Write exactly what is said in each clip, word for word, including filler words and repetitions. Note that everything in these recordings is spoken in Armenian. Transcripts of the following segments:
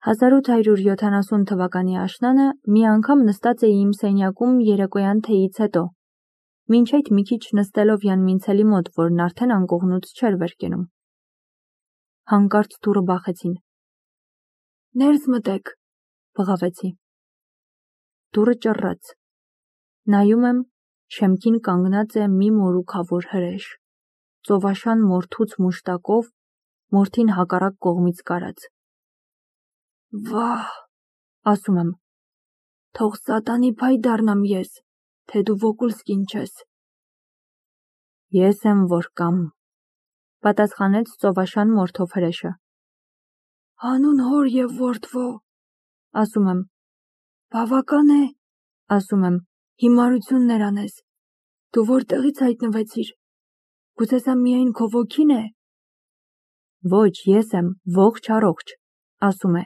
հազար ութ հարյուր յոթանասուն թվականի աշնանը մի անգամ նստած էի իմ սենյակում երեկոյան թեյից հետո, մինչ այդ մի քիչ նստելով Յանմինցելի մոտ, որն արդեն անկողնուց չէր վեր կենում։ Հանկարծ դուռը բախեցին։ «Ներս մտեք», բղավեցի։ Դուռը ճռռաց։ Նայում եմ, շեմքին կանգնած է մի մորուքավոր հրեշ, ծովաշան մորթուց մուշտակով, մորթին հակառակ կողմից կարած։ «Վահ», ասում եմ, «թող սատանի փայ դառնամ ես, թե դու Վոկուլսկին չես»։ «Ես եմ որ կամ», պատասխանեց ծովաշան մորթով հրեշը։ «Հանուն հոր և որդվո», ասում եմ, «բավական է», ասում եմ, «հիմարություններ անես, դու որտեղից հայտնվեցիր, գուցե սա միայն քո ոգին է»։ «Ոչ, ես եմ ողջ առողջ», ասում է,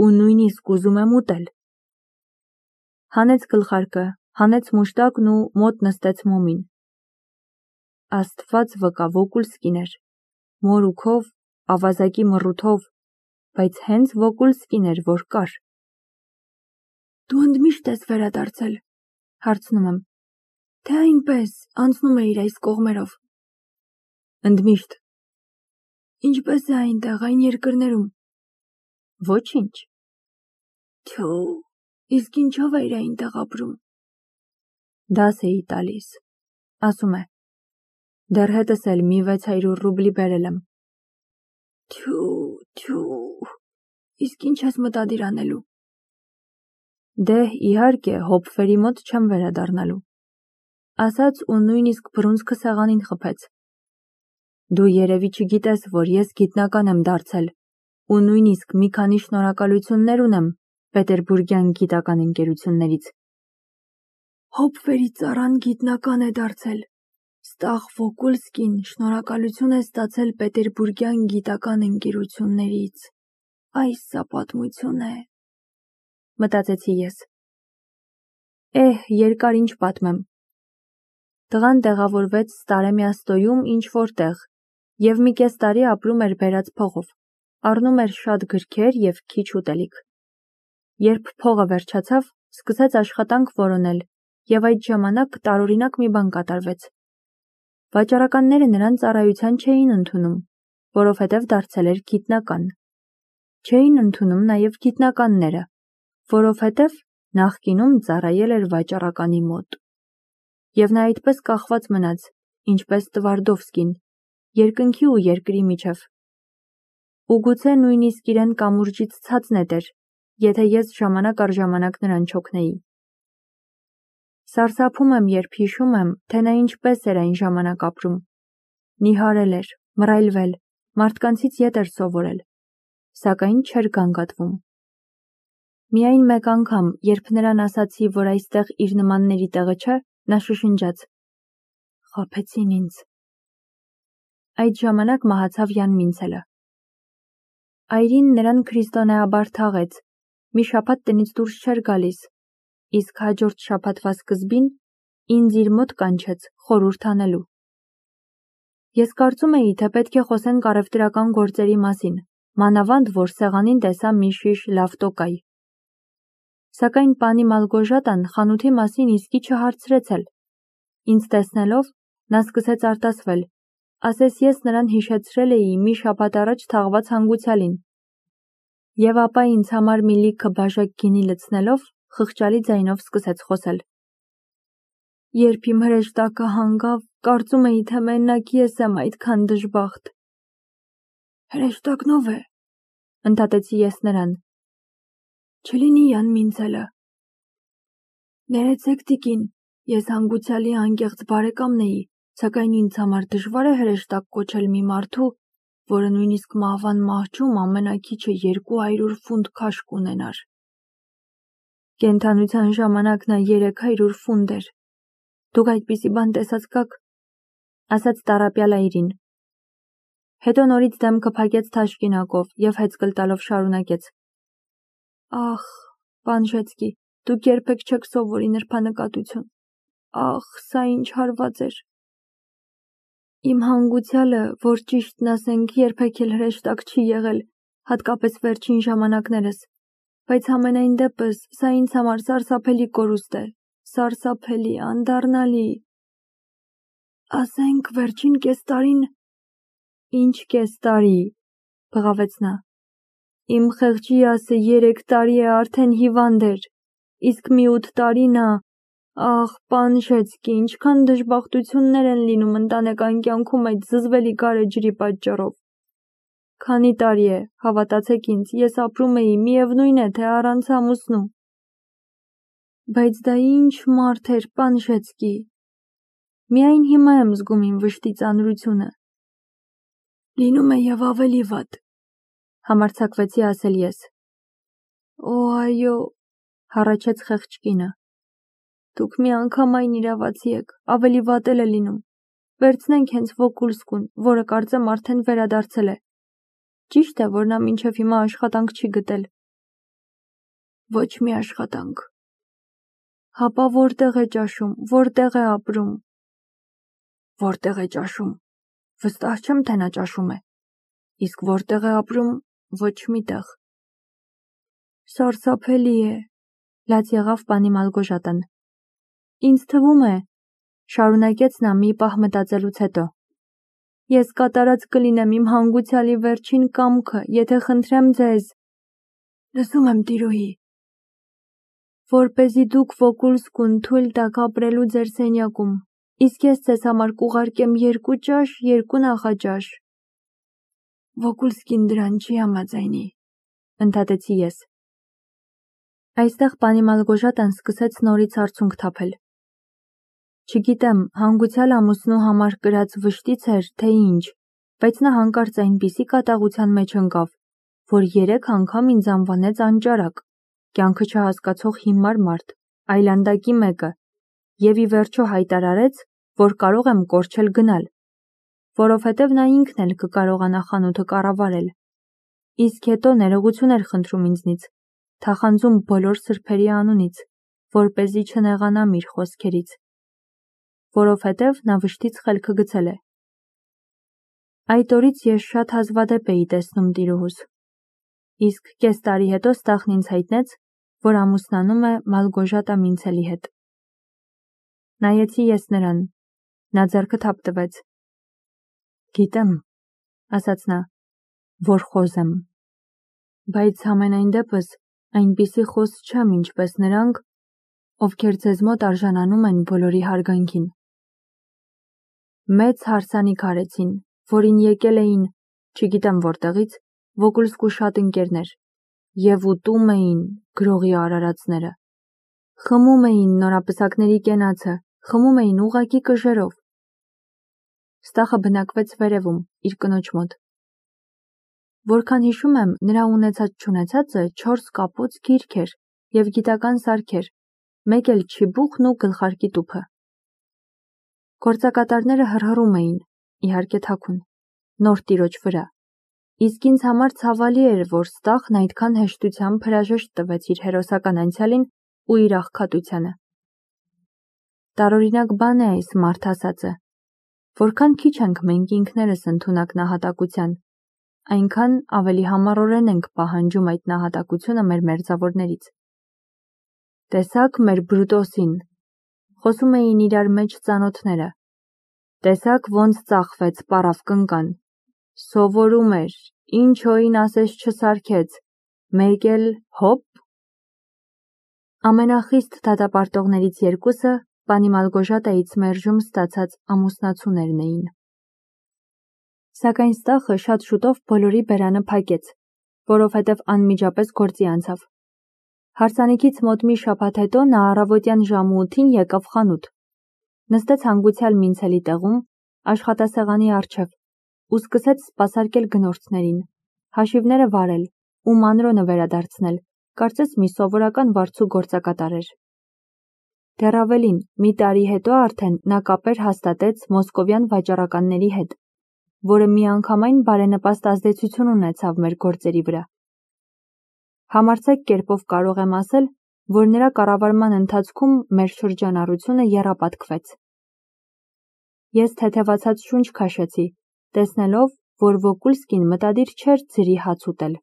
«ու նույնիսկ ուզում եմ ուտել»։ Հանեց գլխարկը, հանեց մուշտակն ու մոտ նստեց մոմին։ Աստված վկա, Վոկուլսկին էր, մորուքով, ավազակի մռութով, բայց հենց Վոկուլսկին էր, որ կար։ «Դու ընդմիշտ ես վերադարձել», հարցնում եմ, «թե այնպես անցնում էիր այս կողմերով»։ «Ընդմիշտ»։ «Ինչպես է այնտեղ, այն երկրներում»։ «Ոչինչ»։ «Թյու, իսկ ինչով էիր այնտեղ ապրում»։ «Դաս էի տալիս», ասում է, «դեռ հետս էլ մի վեց հարյուր ռուբլի բերել եմ»։ «Թյու, թյու, իսկ ինչ ես մտադիր անելու»։ «Դե, իհարկե, հոպվերի մոտ չեմ վերադառնալու», ասաց ու նույնիսկ բռունցքը սեղանին խփեց։ «Դու երևի չգիտես, որ ես գիտնական եմ դարձել ու նույնիսկ մի քանի շնորհակալություններ ունեմ պետերբուրգյան գիտական ընկերություններից»։ «Հոպվերի ծառան գիտնական է դարձել, ստաղ Վոկուլսկին շնորհակալություն է ստացել պետերբուրգյան գիտական ընկերություններից, այս սա պատմություն է», մտածեցի ես։ Էհ, երկար ինչ պատմեմ։ Տղան տեղավորվեց Ստարեմիաստոյում ինչ-որ տեղ և մի կես տարի ապրում էր բերած փողով, առնում էր շատ գրքեր և քիչ ուտելիք։ Երբ փողը վերջացավ, սկսեց աշխատանք որոնել և այդ ժամանակ տարօրինակ մի բան կատարվեց։ Վաճառականները նրան ծառայության չէին ընդունում, որովհետև դարձել էր գիտնական։ Չէին ընդունում նաև գիտնականները, որովհետև նախկինում ծառայել էր վաճառականի մոտ։ Եվ նա այդպես կախված մնաց, ինչպես Տվարդովսկին, երկնքի ու երկրի միջև։ Ու գուցե նույնիսկ իրեն կամուրջից ցած նետեր, եթե ես ժամանակ առ ժամանակ նրան չօգնեի։ Սարսափում եմ, երբ հիշում եմ, թե նա ինչպես էր այն ժամանակ ապրում։ Նիհարել էր, մռայլվել, մարդկանցից ետ էր սովորել, սակայն չէր գանգատվում։ Միայն մեկ անգամ, երբ նրան ասացի, որ այստեղ իր նմանների տեղը չէ, նա շշնջաց. «Խաբեցին ինձ»։ Այդ ժամանակ մահացավ Յանմինցելը։ Այրին նրան քրիստոնեաբար թաղեց, մի շաբաթ տնից դուրս չէր գալիս, իսկ հաջորդ շաբաթվա սկզբին ինձ իր մոտ կանչեց խորհուրդ անելու։ Ես կարծում էի, թե պետք է խոսենք առևտրական գործերի մասին, մանավանդ որ սեղանին տեսա մի շիշ լավ տոկայ։ Սակայն պանի Մալգոժատան խանութի մասին իսկի չհարցրեց էլ։ Ինձ տեսնելով, նա սկսեց արտասվել, ասես ես նրան հիշեցրել էի մի շաբաթ առաջ թաղված հանգուցյալին։ Եվ ապա ինձ համար մի լիքը բաժակ գինի լցնելով, խղճալի ձայնով սկսեց խոսել։ Երբ իմ հրեշտակը հանգավ, կարծում էի, թե մենակ ես եմ այդքան դժբախտ։ Հրեշտակն ով է, ընդհատեցի ես նրան։ Չլինի Յանմինցելը։ Ներեցեք տիկին, ես հանգուցյալի անկեղծ բարեկամն էի, սակայն ինձ համար դժվար է հրեշտակ կոչել մի մարդու, որը նույնիսկ մահվան մահճում ամենաքիչը երկու հարյուր ֆունտ քաշ կունենար։ Կենդանության ժամանակ նա երեք հարյուր ֆունտ էր։ Դուք այդպիսի բան տեսած կաք, ասաց տառապյալ այրին։ Հետո նորից դեմքը փակեց թաշկինակով և հեծկլ տալով շարունակեց. Ախ, պան Ժեցկի, դուք երբեք չեք սովորի նրբանկատություն։ Ախ, սա ինչ հարված էր։ Իմ հանգուցյալը, որ ճիշտն ասենք, երբեք էլ հրեշտակ չի եղել, հատկապես վերջին ժամանակներս, բայց ամենայն դեպս սա ինձ համար սարսափելի կորուստ է, սարսափելի, անդառնալի։ Ասենք վերջին կես տարին… Ինչ կես տարի, բղավեց նա։ Իմ խեղճի ասը երեք տարի է արդեն հիվանդ էր, իսկ մի ութ տարի նա… Ախ, պան Շեցկի, ինչքան դժբախտություններ են լինում ընտանեկան կյանքում այդ զզվելի գարեջրի պատճառով։ Քանի տարի է, հավատացեք ինձ, ես ապրում էի, միևնույն է, թե առանց ամուսնու։ Բայց դա ինչ մարդ էր, պան Շեցկի։ Միայն հիմա եմ զգում իմ վշտի ծանրությունը։ Լինում է եւ ավելի վատ, համարձակվեցի ասել ես։ Օ, այո, հառաչեց խեղճ կինը։ Դուք մի անգամ այն իրավացի եք, ավելի վատ էլ է լինում։ Վերցնենք հենց Վոկուլսկուն, որը կարծեմ արդեն վերադարձել է։ Ճիշտ է, որ նա մինչև հիմա աշխատանք չի գտել։ Ոչ մի աշխատանք։ Հապա որտեղ է ճաշում, որտեղ է ապրում։ Որտեղ է ճաշում։ Վստահ չեմ, թե նա ճաշում է։ Իսկ որտեղ է ապրում, ոչ միտեղ։ Սարսափելի է, լաց եղավ պանի Մալգոժատան։ Ինձ թվում է, շարունակեց նա մի պահ մտածելուց հետո, ես կատարած կլինեմ իմ հանգուցյալի վերջին կամքը, եթե խնդրեմ ձեզ… Լսում եմ, տիրուհի։ Որպեսզի դուք Վոկուլսկուն թույլ տաք ապրելու ձեր սենյակում, իսկ ես ձեզ համար կուղարկեմ երկու ճաշ, երկու նախաճաշ։ Վոկուլսկին դրան չի համաձայնի, ընդհատեցի ես։ Այստեղ պանի Մալգոժատան սկսեց նորից արցունք թափել։ Չգիտեմ, հանգուցյալ ամուսնու համար կրած վշտից էր, թե ինչ, բայց նա հանկարծ այնպիսի կատաղության մեջ ընկավ, որ երեք անգամ ինձ անվանեց անճարակ, կյանքը չհասկացող հիմար մարդ, այլանդակի մեկը, եւ ի վերջո հայտարարեց, որ կարող եմ կորչել գնալ, որովհետև նա ինքն էլ կկարողանա խանութը կառավարել։ Իսկ հետո ներողություն էր խնդրում ինձնից, թախանձում բոլոր սրբերի անունից, որպեսզի չնեղանամ իր խոսքերից, որովհետև նա վշտից խելքը գցել է։ Այդ օրից ես շատ հազվադեպ էի տեսնում տիրուհուս։ Իսկ կես տարի հետո Ստախն ինձ հայտնեց, որ ամուսնանում է Մալգոժատա Մինցելի հետ։ Նայեցի ես նրան, նա ձեռքը թափտվեց։ Գիտեմ, ասաց նա, որ խոզ եմ, բայց համենայն դեպս այնպիսի խոզ չեմ, ինչպես նրանք, ովքեր ձեզ մոտ արժանանում են բոլորի հարգանքին։ Մեծ հարսանիք արեցին, որին եկել էին, չգիտեմ որտեղից, Վոկուլսկու շատ ընկերներ, եւ ուտում էին գրողի արարածները։ Խմում էին նորապսակների կենացը, խմում էին ուղղակի կժերով։ Ստախը բնակվեց վերևում, իր կնոջ մոտ։ Որքան հիշում եմ, նրա ունեցած-չունեցածը չորս կապոց գիրք էր եւ գիտական սարքեր, մեկ էլ չիբուխն ու գլխարկի տուփը։ Գործակատարները հռհռում էին, իհարկե թաքուն, նոր տիրոջ վրա, իսկ ինձ համար ցավալի էր, որ Ստախն այդքան հեշտությամբ հրաժեշտ տվեց իր հերոսական անցյալին ու իր աղքատությանը։ Տարօրինակ բան է այս մարդ ասածը, որքան քիչ ենք մենք ինքներս ընդունակ նահատակության, այնքան ավելի համառորեն ենք պահանջում այդ նահատակությունը մեր մերձավորներից։ Տեսաք մեր Բրուտոսին, խոսում էին իրար մեջ ծանոթները, տեսաք ոնց ծախվեց պարավ կնկան, սովորում էր, ինչ հոին ասես չսարքեց, մեկ էլ հոպ… Ամենախիստ դատապարտողներից երկուսը պանի Մալգոժատայից մերժում ստացած ամուսնացուներն էին։ Սակայն Ստախը շատ շուտով բոլորի բերանը փակեց, որովհետև անմիջապես գործի անցավ։ Հարսանիքից մոտ մի շաբաթ հետո նա առավոտյան ժամը ութին եկավ խանութ, նստեց հանգուցյալ Մինցելի տեղում, աշխատասեղանի առջև, ու սկսեց սպասարկել գնորդներին, հաշիվները վարել ու մանրոնը վերադարձնել, կարծես մի սովորական վարձու գործակատար էր։ Դեռ ավելին, մի տարի հետո արդեն նա կապեր հաստատեց մոսկովյան վաճառականների հետ, որը միանգամայն բարենպաստ ազդեցություն ունեցավ մեր գործերի վրա։ Համարձակ կերպով կարող եմ ասել, որ նրա կառավարման ընթացքում մեր շրջանառությունը եռապատկվեց։ Ես թեթևացած շունչ քաշեցի, տեսնելով, որ Վոկուլսկին մտադիր չէր ձրի հաց ուտել։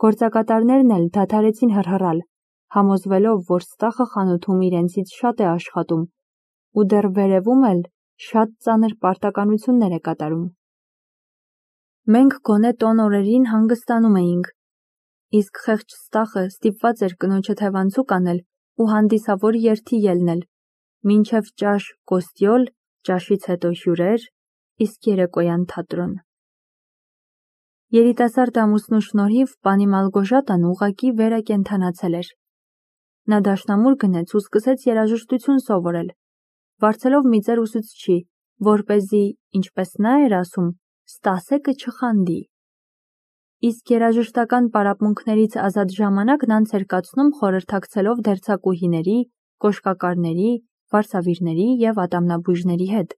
Գործակատարներն էլ դադարեցին հռհռալ, համոզվելով, որ Ստախը խանութում իրենցից շատ է աշխատում ու դեռ վերևում էլ շատ ծանր պարտականություններ է կատարում։ Մենք գոնե տոն օրերին հանգստանում էինք, իսկ խեղճ Ստախը ստիպված էր կնոջը թևանցուկ անել ու հանդիսավոր երթի ելնել, մինչև ճաշ կոստյոլ, ճաշից հետո հյուրեր, իսկ երեկոյան թատրոն։ Երիտասարդ ամուսնու շնորհիվ պանի Մալգոժատան ուղղակի վերակենդանացել էր։ Նա դաշնամուր գնեց ու սկսեց երաժշտություն սովորել, վարձելով մի ծեր ուսուցչի, որպեսզի, ինչպես նա էր ասում, Ստասեկը չխանդի։ Իսկ երաժշտական պարապմունքներից ազատ ժամանակն անց էր կացնում խորհրդակցելով դերձակուհիների, կոշկակարների, վարսավիրների և ատամնաբույժների հետ,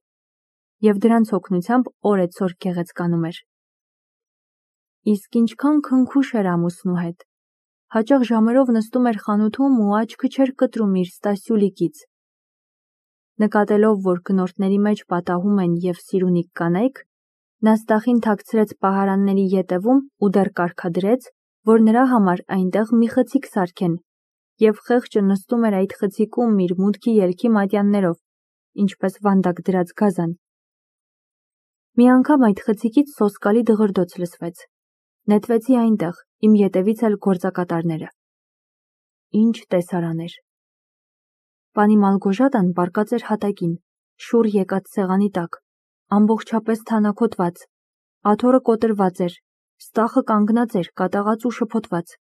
և դրանց օգնությամբ օրեցօր գեղեցկանում էր։ Իսկ ինչքան քնքուշ էր ամուսնու հետ։ Հաճախ ժամերով նստում էր խանութում ու աչքը չէր կտրում իր Ստասյուլիկից։ Նկատելով, որ գնորդների մեջ պատահում են և սիրունիկ կանայք, նա Ստախին թաքցրեց պահարանների ետևում ու դեռ կարգադրեց, որ նրա համար այնտեղ մի խցիկ սարքեն, և խեղճը նստում էր այդ խցիկում իր մուտքի ելքի մատյաններով, ինչպես վանդակ դրած գազան։ Մի անգամ այդ խցիկից սոսկալի դղրդոց լսվեց։ Նետվեցի այնտեղ, իմ ետևից էլ գործակատարները։ Ինչ տեսարան էր։ Պանի Մալգոժատան պառկած էր հատակին, շուռ եկած սեղանի տակ, ամբողջապես թանաքոտված, աթոռը կոտրված էր, Ստախը կանգնած էր կատաղած ու շփոթված։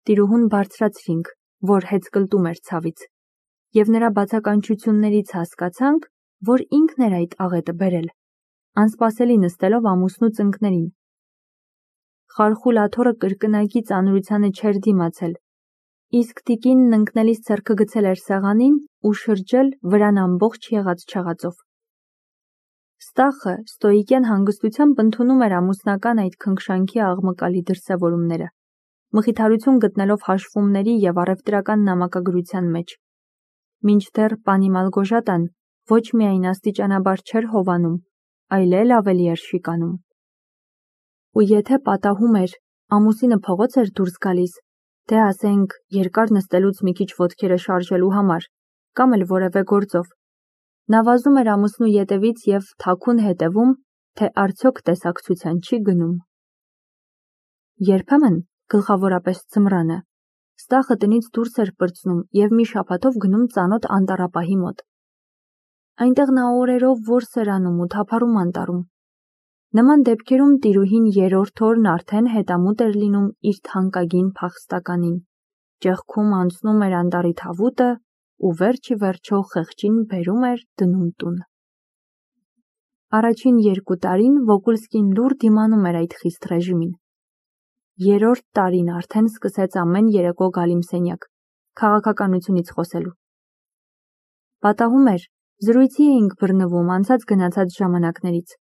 Տիրուհուն բարձրացրինք, որ հեծկլտում էր ցավից, և նրա բացականչություններից հասկացանք, որ ինքն էր այդ աղետը բերել, անսպասելի նստելով ամուսնու ծնկներին։ Խարխուլ աթոռը կրկնակի ծանրությանը չէր դիմացել, իսկ տիկինն ընկնելիս ձեռքը գցել էր սեղանին ու շրջել վրան ամբողջ եղած չեղածով։ Ստախը ստոիկյան հանգստությամբ ընդունում էր ամուսնական այդ քնքշանքի աղմկալի դրսևորումները, մխիթարություն գտնելով հաշվումների և առևտրական նամակագրության մեջ, մինչդեռ պանի Մալգոժատան ոչ միայն աստիճանաբար չէր հովանում, այլ էլ ավելի էր շիկանում։ Ու եթե պատահում էր, ամուսինը փողոց էր դուրս գալիս, թե ասենք երկար նստելուց մի քիչ ոտքերը շարժելու համար, կամ էլ որևէ գործով, նա վազում էր ամուսնու ետևից և թաքուն հետևում, թե արդյոք տեսակցության չի գնում։ Երբեմն, գլխավորապես ձմռանը, Ստախը տնից դուրս էր պրծնում և մի շաբաթով գնում ծանոթ անտառապահի մոտ։ Այնտեղ նա օրերով որս էր անում ու թափառում անտառում։ Նման դեպքերում տիրուհին երրորդ օրն արդեն հետամուտ էր լինում իր թանկագին փախստականին, ճեղքում անցնում էր անտառի թավուտը ու վերջ ի վերջո խեղճին բերում էր դնում տուն։ Առաջին երկու տարին Վոգուլսկին լուռ դիմանում էր այդ խիստ ռեժիմին։ Երրորդ տարին արդեն սկսեց ամեն երեկո գալ իմ սենյակ, քաղաքականությունից խոսելու։ Պատահում էր, զրույցի էինք բռնվում անցած գնացած ժամանակներից։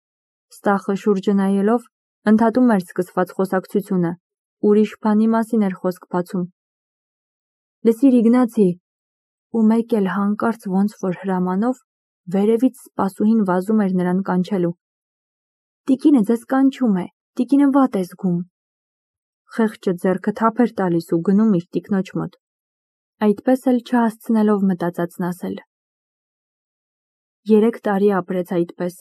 Ստախը շուրջը նայելով, ընդհատում էր սկսված խոսակցությունը, ուրիշ բանի մասին էր խոսք բացում։ Լսիր Իգնացի, ու մեկ էլ հանկարծ ոնց որ հրամանով, վերևից սպասուհին վազում էր նրան կանչելու։ Տիկինը ձեզ կանչում է, տիկինը վատ է զգում։ Խեղճը ձեռքը թափ էր տալիս ու գնում իր տիկնոջ մոտ, այդպես էլ չհասցնելով մտածածն ասել։ Երեք տարի ապրեց այդպես,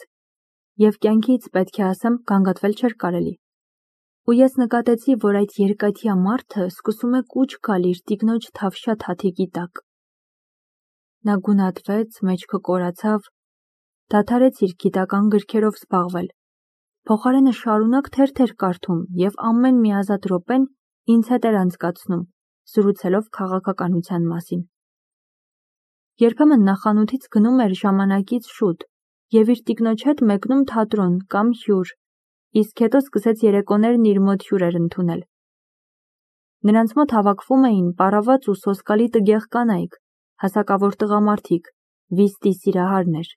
և կյանքից, պետք է ասեմ, գանգատվել չէր կարելի։ Ու ես նկատեցի, որ այդ երկաթյա մարդը սկսում է կուչ գալ իր տիկնոջ թավշյա թաթիկի տակ։ Նա գունատվեց, մեջքը կորացավ, դադարեց իր գիտական գրքերով զբաղվել, փոխարենը շարունակ թերթեր կարդում և ամեն մի ազատ րոպեն ինձ հետ էր անցկացնում, զրուցելով քաղաքականության մասին։ Երբեմն նա խանութից գնում էր ժամանակից շուտ և իր տիկնոջ հետ մեկնում թատրոն կամ հյուր, իսկ հետո սկսեց երեկոներն իր մոտ հյուրեր ընդունել։ Նրանց մոտ հավաքվում էին պառաված ու սոսկալի տգեղ կանայք, հասակավոր տղամարդիկ, վիստի սիրահարներ։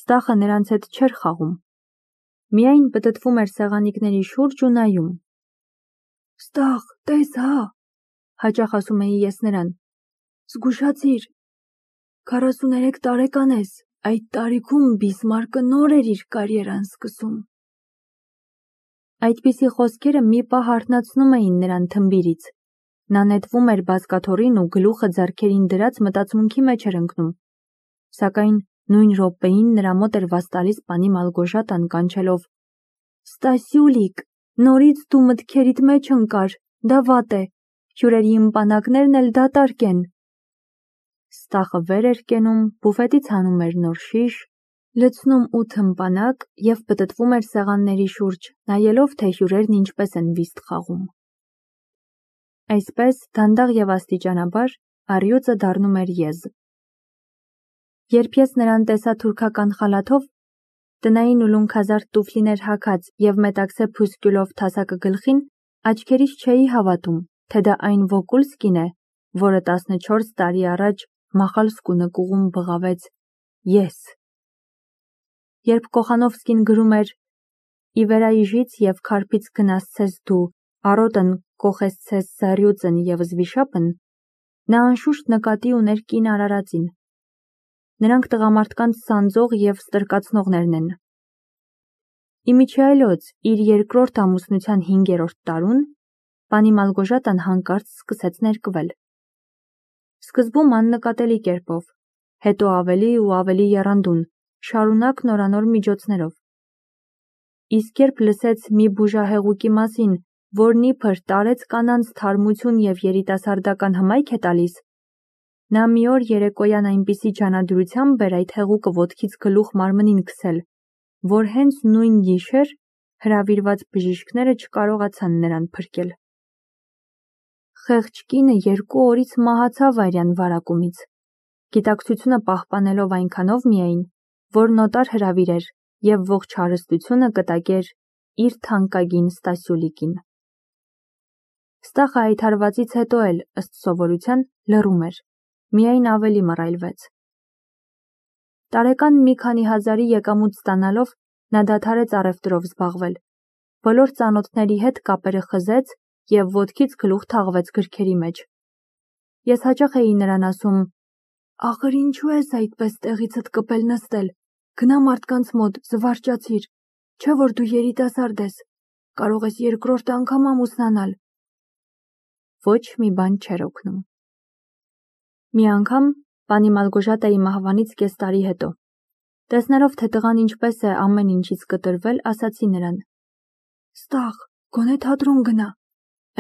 Ստախը նրանց հետ չէր խաղում, միայն պտտվում էր սեղանիկների շուրջ ու նայում։ Ստախ, տես հա, հաճախ ասում էի ես նրան, զգուշացիր, քառասուներեք տարեկան ես, այդ տարիքում Բիսմարկը նոր էր իր կարիերան սկսում։ Այդպիսի խոսքերը մի պահ հարթնացնում էին նրան թմբիրից։ Նա նետվում էր բազկաթոռին ու գլուխը ձեռքերին դրած մտածմունքի մեջ էր ընկնում։ Սակայն նույն րոպեին նրա մոտ էր վաստալիս պանի Մալգոժատան կանչելով. «Ստասյուլիկ, նորից դու մտքերիդ մեջ ընկար, դա վատ է, հյուրերի ըմպանակներն էլ դատարկ են»։ Ստախը վեր էր կենում, բուֆետից հանում էր նոր շիշ, լցնում ութ ըմպանակ և պտտվում էր սեղանների շուրջ, նայելով, թե հյուրերն ինչպես են վիստ խաղում։ Այսպես, դանդաղ և աստիճանաբար, առյուծը դառնում էր եզ։ Երբ ես նրան տեսա թուրքական խալաթով, տնային ուլունքազարդ տուֆլիներ հագած և մետաքսե փուսկյուլով թասակը գլխին, աչքերիս չէի հավատում, թե դա այն Վոկուլսկին է, որը տասնչորս տարի առաջ Մախալսկու նկուղում բղավեց «Ես»։ Երբ Կոխանովսկին գրում էր «Ի վերայժից և քարփից գնասցես դու, առօտն կոխեսցես զառյուծն և զվիշապն», նա անշուշտ նկատի ուներ կին արարածին։ Նրանք տղամարդկանց սանձող և ստրկացնողներն են։ Իմիջիայլոց իր երկրորդ ամուսնության հինգերորդ տարուն պանի Մալգոժատան հանկարծ սկսեց ներկվել։ Սկզբում աննկատելի կերպով, հետո ավելի ու ավելի եռանդուն, շարունակ նորանոր միջոցներով։ Իսկ երբ լսեց մի բուժահեղուկի մասին, որն իբր տարեց կանանց թարմություն և երիտասարդական հմայք է տալիս, նա մի օր երեկոյան այնպիսի ջանադրությամբ էր այդ հեղուկը ոտքից գլուխ մարմնին քսել, որ հենց նույն գիշեր հրավիրված բժիշկները չկարողացան նրան փրկել։ Խեղճ կինը երկու օրից մահացավ արյան վարակումից, գիտակցությունը պահպանելով այնքանով միայն, որ նոտար հրավիրեր և ողջ հարստությունը կտակեր իր թանկագին Ստասյուլիկին։ Ստախը այդ հարվածից հետո էլ, ըստ սովորության, լռում էր, միայն ավելի մռայլվեց։ Տարեկան մի քանի հազարի եկամուտ ստանալով, նա դադարեց առևտրով զբաղվել, բոլոր ծանոթների հետ կապերը խզեց և ոտքից գլուխ թաղվեց գրքերի մեջ։ Ես հաճախ էի նրան ասում. «Ախր ինչու ես այդպես տեղիցդ կպել նստել, գնա մարդկանց մոտ, զվարճացիր, չէ՞ որ դու երիտասարդ ես, կարող ես երկրորդ անգամ ամուսնանալ»։ Ոչ մի բան չէր օգնում։ Մի անգամ, պանի Մալգոժատայի մահվանից կես տարի հետո, տեսնելով, թե տղան ինչպես է ամեն ինչից կտրվել, ասացի նրան. «Ստախ, գոնե թատրոն գնա,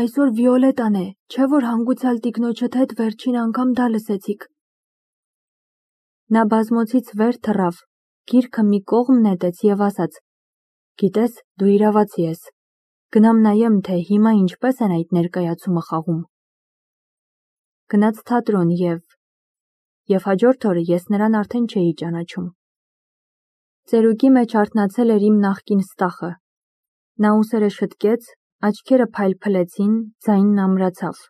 այսօր Վիոլետան է, չէ՞ որ հանգուցյալ տիկնոջդ հետ վերջին անգամ դա լսեցիք»։ Նա բազմոցից վեր թռավ, գիրքը մի կողմ նետեց և ասաց. «Գիտես, դու իրավացի ես, գնամ նայեմ, թե հիմա ինչպես են այդ ներկայացումը խաղում»։ Գնաց թատրոն և… և հաջորդ օրը ես նրան արդեն չէի ճանաչում։ Ծերուկի մեջ արթնացել էր իմ նախկին Ստախը։ Նա ուսերը շտկեց, աչքերը փայլփլեցին, ձայնն ամրացավ։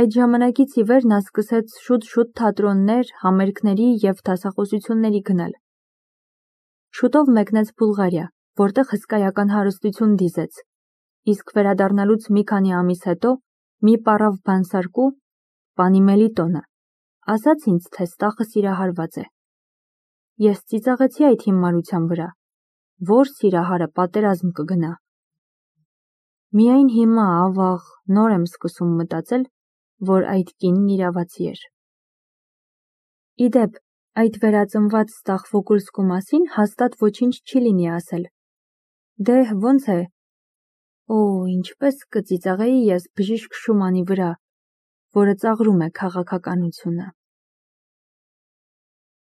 Այդ ժամանակից ի վեր նա սկսեց շուտ-շուտ թատրոններ, համերգների և դասախոսությունների գնալ։ Շուտով մեկնեց Բուլղարիա, որտեղ հսկայական հարստություն դիզեց, իսկ վերադառնալուց մի քանի ամիս հետո մի պառավ բանսարկու, պանի Մելիտոնը, ասաց ինձ, թե Ստախը սիրահարված է։ Ես ծիծաղեցի այդ հիմարության վրա, որ սիրահարը պատերազմ կգնա։ Միայն հիմա, ավաղ, նոր եմ սկսում մտածել, որ այդ կինն իրավացի էր։ Ի դեպ, այդ վերածնված Ստախ Վոկուլսկու մասին հաստատ ոչինչ չի լինի ասել։ Դե, ոնց է… Օ, ինչպես կծիծաղեի ես բժիշկ Շումանի վրա, որը ծաղրում է քաղաքականությունը։